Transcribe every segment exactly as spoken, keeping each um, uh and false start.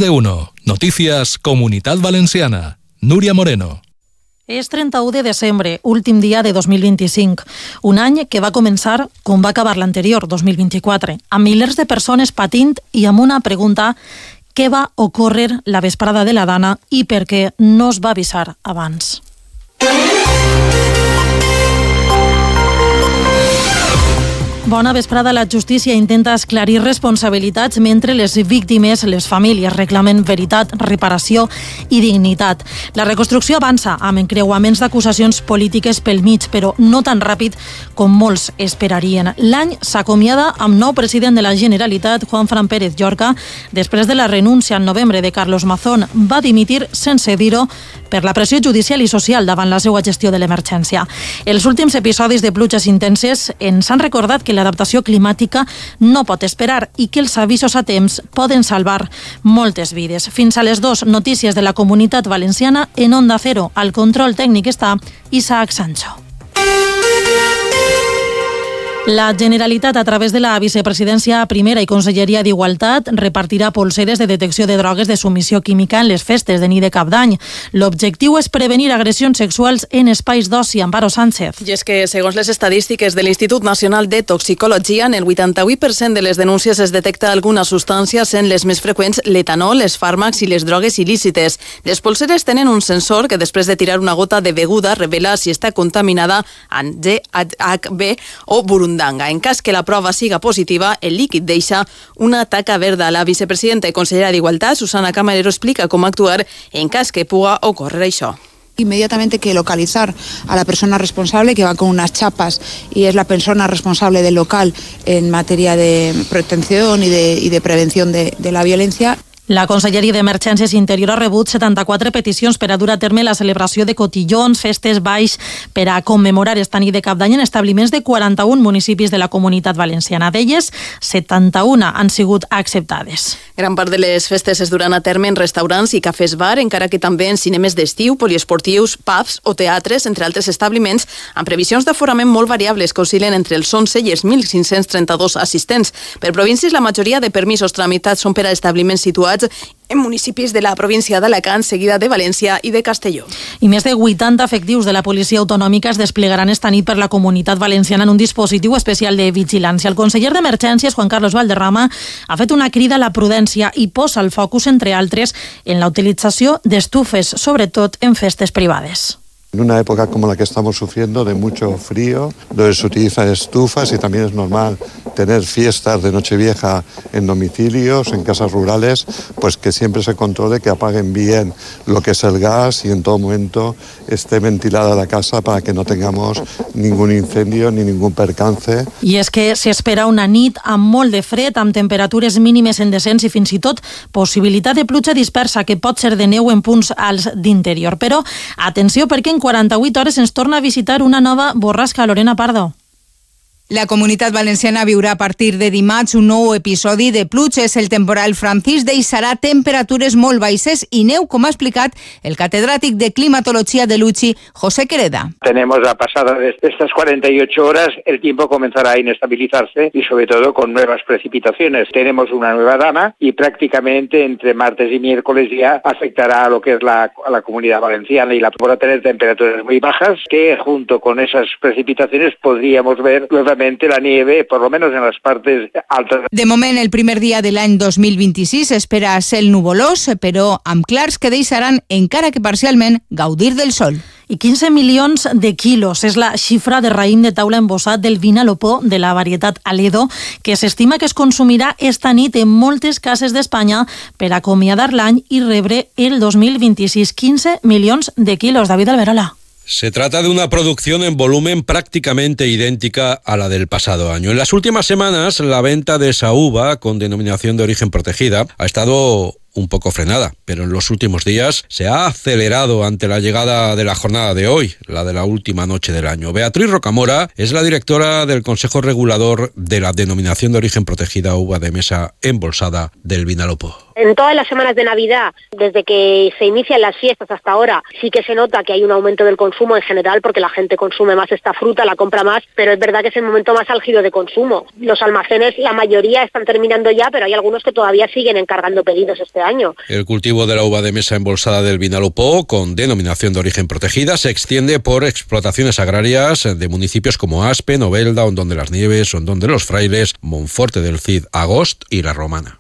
de uno. Noticias Comunitat Valenciana. Núria Moreno. És trenta-u de desembre, últim dia de dos mil vint-i-cinc, un any que va començar com va acabar l'anterior, dos mil vint-i-quatre, amb milers de persones patint i amb una pregunta: què va ocórrer la vesprada de la Dana i per què no es va avisar abans? Bona vesprada. La justícia intenta esclarir responsabilitats mentre les víctimes, les famílies, reclamen veritat, reparació i dignitat. La reconstrucció avança amb encreuaments d'acusacions polítiques pel mig, però no tan ràpid com molts esperarien. L'any s'acomiada amb nou president de la Generalitat, Juanfran Pérez Llorca, després de la renúncia en novembre de Carlos Mazón. Va dimitir sense dir-ho per la pressió judicial i social davant la seva gestió de l'emergència. Els últims episodis de pluges intenses ens han recordat que l'adaptació climàtica no pot esperar i que els avisos a temps poden salvar moltes vides. Fins a les dues, notícies de la Comunitat Valenciana en Onda Cero. Al control tècnic està Isaac Sancho. La Generalitat, a través de la Vicepresidència Primera i Conselleria d'Igualtat, repartirà polseres de detecció de drogues de submissió química en les festes de nit de Cap d'Any. L'objectiu és prevenir agressions sexuals en espais d'oci. Amparo Sánchez. I és que, segons les estadístiques de l'Institut Nacional de Toxicologia, en el vuitanta-vuit per cent de les denúncies es detecta alguna substància, sent les més freqüents l'etanol, els fàrmacs i les drogues il·lícites. Les polseres tenen un sensor que, després de tirar una gota de beguda, revela si està contaminada amb G H B o burundanga. En cas que la prova siga positiva, el líquid deixa una taca verda. La vicepresidenta i consellera d'Igualtat, Susana Camarero, explica com actuar en cas que puga ocórrer això. Inmediatamente que localizar a la persona responsable, que va con unas chapas y es la persona responsable del local en materia de protección y de, y de prevención de, de la violencia. La Conselleria d'Emergències Interior ha rebut setanta-quatre peticions per a dur a terme la celebració de cotillons, festes, balls, per a commemorar esta nit de Cap d'Any en establiments de quaranta-un municipis de la Comunitat Valenciana. D'elles, setanta-un han sigut acceptades. Gran part de les festes es duran a terme en restaurants i cafès bar, encara que també en cinemes d'estiu, poliesportius, pubs o teatres, entre altres establiments, amb previsions d'aforament molt variables que oscil·len entre els onze i els mil cinc-cents trenta-dos assistents. Per províncies, la majoria de permisos tramitats són per a establiments situats en municipis de la província d'Alacant, seguida de València i de Castelló. I més de vuitanta efectius de la policia autonòmica es desplegaran esta nit per la Comunitat Valenciana en un dispositiu especial de vigilància. El conseller d'Emergències, Juan Carlos Valderrama, ha fet una crida a la prudència i posa el focus, entre altres, en la utilització d'estufes, sobretot en festes privades. En una época como la que estamos sufriendo, de mucho frío, donde se utilizan estufas y también es normal tener fiestas de Nochevieja en domicilios, en casas rurales, pues que siempre se controle que apaguen bien lo que es el gas y en todo momento esté ventilada la casa para que no tengamos ningún incendio ni ningún percance. I és que s'espera una nit amb molt de fred, amb temperatures mínimes en descens i fins i tot possibilitat de pluja dispersa que pot ser de neu en punts alts d'interior. Però atenció, perquè en quaranta-vuit hores ens torna a visitar una nova borrasca. Lorena Pardo. La Comunitat Valenciana viurà a partir de dimarts un nou episodi de pluges. El temporal Francis deixarà temperatures molt baixes y neu, com ha explicat el catedrático de climatología de Luchi, José Quereda. Tenemos a pasada de estas cuarenta y ocho horas, el tiempo comenzará a inestabilizarse y sobre todo con nuevas precipitaciones. Tenemos una nueva dana y prácticamente entre martes y miércoles ya afectará a lo que es la, a la Comunidad Valenciana y la podrá tener temperaturas muy bajas que junto con esas precipitaciones podríamos ver nuevamente la nieve, por lo menos en las partes altas. De moment, el primer dia de l'any dos mil vint-i-sis espera cel nuvolós, però amb clars que deixaran, encara que parcialment, gaudir del sol. I quinze milions de quilos és la xifra de raïm de taula embossat del Vinalopó de la varietat Aledo, que s'estima que es consumirà esta nit en moltes cases d'Espanya per acomiadar l'any i rebre el dos mil vint-i-sis. quinze milions de quilos. David Alberola. Se trata de una producción en volumen prácticamente idéntica a la del pasado año. En las últimas semanas, la venta de esa uva con denominación de origen protegida ha estado un poco frenada, pero en los últimos días se ha acelerado ante la llegada de la jornada de hoy, la de la última noche del año. Beatriz Rocamora es la directora del Consejo Regulador de la denominación de origen protegida uva de mesa embolsada del Vinalopó. En todas las semanas de Navidad, desde que se inician las fiestas hasta ahora, sí que se nota que hay un aumento del consumo en general porque la gente consume más esta fruta, la compra más, pero es verdad que es el momento más álgido de consumo. Los almacenes, la mayoría están terminando ya, pero hay algunos que todavía siguen encargando pedidos este año. El cultivo de la uva de mesa embolsada del Vinalopó, con denominación de origen protegida, se extiende por explotaciones agrarias de municipios como Aspe, Novelda, Hondón de las Nieves, Hondón de los Frailes, Monforte del Cid, Agost i la Romana.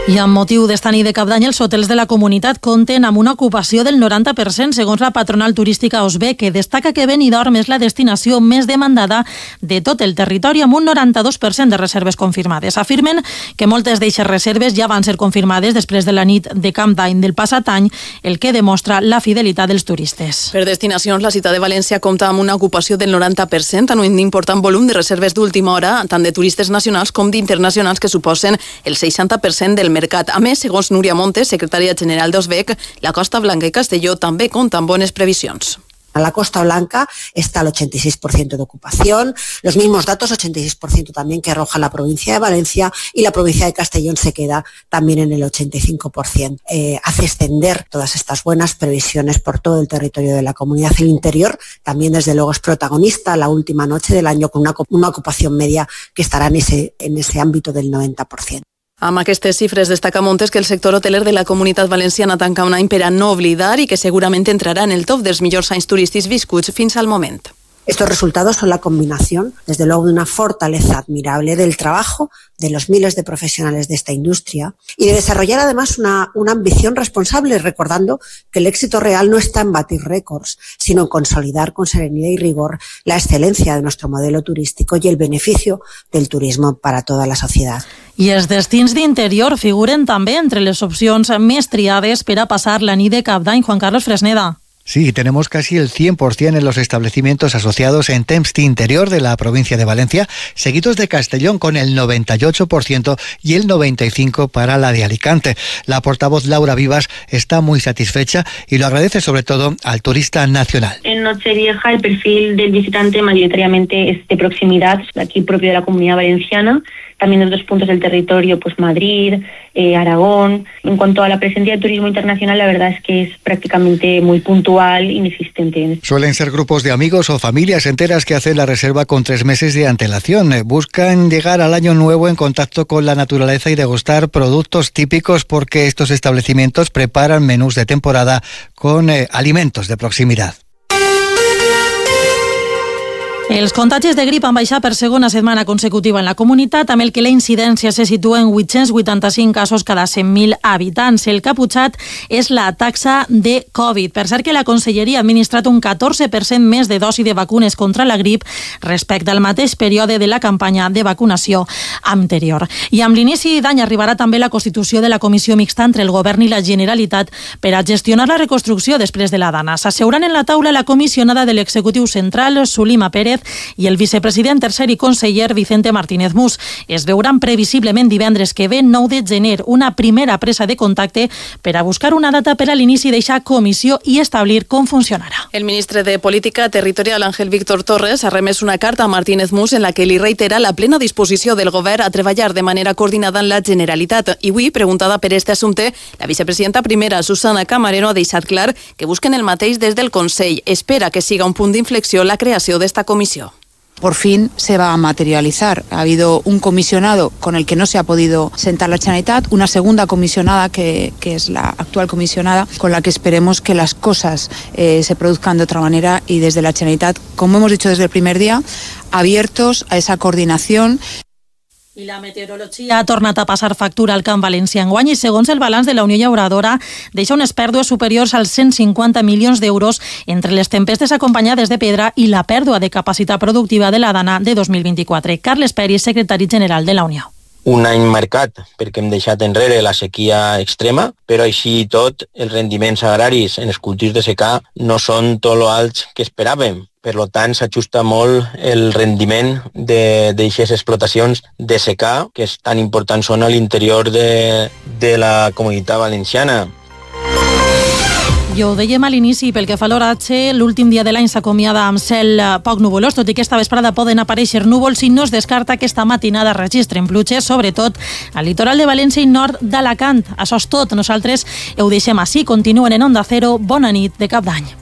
I amb motiu d'esta nit de Cap d'Any, els hotels de la comunitat compten amb una ocupació del noranta per cent, segons la patronal turística Osbe, que destaca que Benidorm és la destinació més demandada de tot el territori, amb un noranta-dos per cent de reserves confirmades. Afirmen que moltes d'eixes reserves ja van ser confirmades després de la nit de Cap d'Any del passat any, el que demostra la fidelitat dels turistes. Per destinacions, la ciutat de València compta amb una ocupació del noranta per cent, en un important volum de reserves d'última hora, tant de turistes nacionals com d'internacionals, que suposen el seixanta per cent del mercat. A més, segons Núria Montes, secretària general d'Osbec, la Costa Blanca i Castelló també compten bones previsions. A la Costa Blanca está el ochenta y seis por ciento de ocupación, los mismos datos, ochenta y seis por ciento también que arroja la provincia de Valencia, y la provincia de Castellón se queda también en el ochenta y cinco por ciento. Eh, hace extender todas estas buenas previsiones por todo el territorio de la comunidad. El interior también, desde luego, es protagonista la última noche del año, con una, una ocupación media que estará en ese, en ese ámbito del noventa por ciento. Amb aquestes xifres destaca Montes que el sector hoteler de la Comunitat Valenciana tanca un any per a no oblidar i que segurament entrarà en el top dels millors anys turístics viscuts fins al moment. Estos resultados son la combinación, desde luego, de una fortaleza admirable del trabajo de los miles de profesionales de esta industria y de desarrollar además una, una ambición responsable, recordando que el éxito real no está en batir récords, sino en consolidar con serenidad y rigor la excelencia de nuestro modelo turístico y el beneficio del turismo para toda la sociedad. I els destins d'interior figuren també entre les opcions més triades per a passar la nit de Cap d'Any. Juan Carlos Fresneda. Sí, tenemos casi el cien por ciento en los establecimientos asociados en Temps d'Interior de la provincia de Valencia, seguidos de Castellón con el noventa y ocho por ciento y el noventa y cinco por ciento para la de Alicante. La portavoz Laura Vivas está muy satisfecha y lo agradece sobre todo al turista nacional. En Nochevieja el perfil del visitante mayoritariamente es de proximidad, aquí propio de la Comunidad Valenciana. También en otros puntos del territorio, pues Madrid, eh, Aragón. En cuanto a la presencia de turismo internacional, la verdad es que es prácticamente muy puntual, inexistente. Suelen ser grupos de amigos o familias enteras que hacen la reserva con tres meses de antelación. Buscan llegar al año nuevo en contacto con la naturaleza y degustar productos típicos, porque estos establecimientos preparan menús de temporada con eh, alimentos de proximidad. Els contagis de grip han baixat per segona setmana consecutiva en la comunitat, amb el que la incidència se situa en vuit-cents vuitanta-cinc casos cada cent mil habitants. El caputxat és la taxa de Covid. Per cert que la Conselleria ha administrat un catorze per cent més de dosi de vacunes contra la grip respecte al mateix període de la campanya de vacunació anterior. I amb l'inici d'any arribarà també la constitució de la Comissió Mixta entre el Govern i la Generalitat per a gestionar la reconstrucció després de la Dana. S'asseuran en la taula la comissionada de l'Executiu Central, Sulima Pérez, i el vicepresident tercer i conseller Vicente Martínez Mus. Es veuran previsiblement divendres que ve, nou de gener, una primera presa de contacte per a buscar una data per a l'inici d'eixa comissió i establir com funcionarà. El ministre de Política Territorial, Ángel Víctor Torres, ha remès una carta a Martínez Mus en la que li reitera la plena disposició del govern a treballar de manera coordinada en la Generalitat. I avui, preguntada per este assumpte, la vicepresidenta primera, Susana Camarero, ha deixat clar que busquen el mateix des del Consell. Espera que siga un punt d'inflexió la creació d'esta comissió. Por fin se va a materializar. Ha habido un comisionado con el que no se ha podido sentar la Generalitat, una segunda comisionada que, que es la actual comisionada, con la que esperemos que las cosas eh, se produzcan de otra manera, y desde la Generalitat, como hemos dicho desde el primer día, abiertos a esa coordinación. I la meteorologia ha tornat a passar factura al camp valencià enguany i, segons el balanç de la Unió Llauradora, deixa unes pèrdues superiors als cent cinquanta milions d'euros entre les tempestes acompanyades de pedra i la pèrdua de capacitat productiva de la Dana de dos mil vint-i-quatre. Carles Peris, secretari general de la Unió. Un any marcat perquè hem deixat enrere la sequia extrema, però així i tot els rendiments agraris en els cultius de secà no són tot lo alts que esperàvem. Per tant, s'ajusta molt el rendiment d'aixes explotacions de secà, que és tan important són a l'interior de, de la Comunitat Valenciana. Ja ho dèiem a l'inici, pel que fa a l'oratge, l'últim dia de l'any s'acomiada amb cel poc nuvolós, tot i que esta vesprada poden aparèixer núvols i no es descarta que esta matinada registren pluges, sobretot al litoral de València i nord d'Alacant. Això és tot. Nosaltres ho deixem així. Continuen en Onda Cero. Bona nit de cap d'any.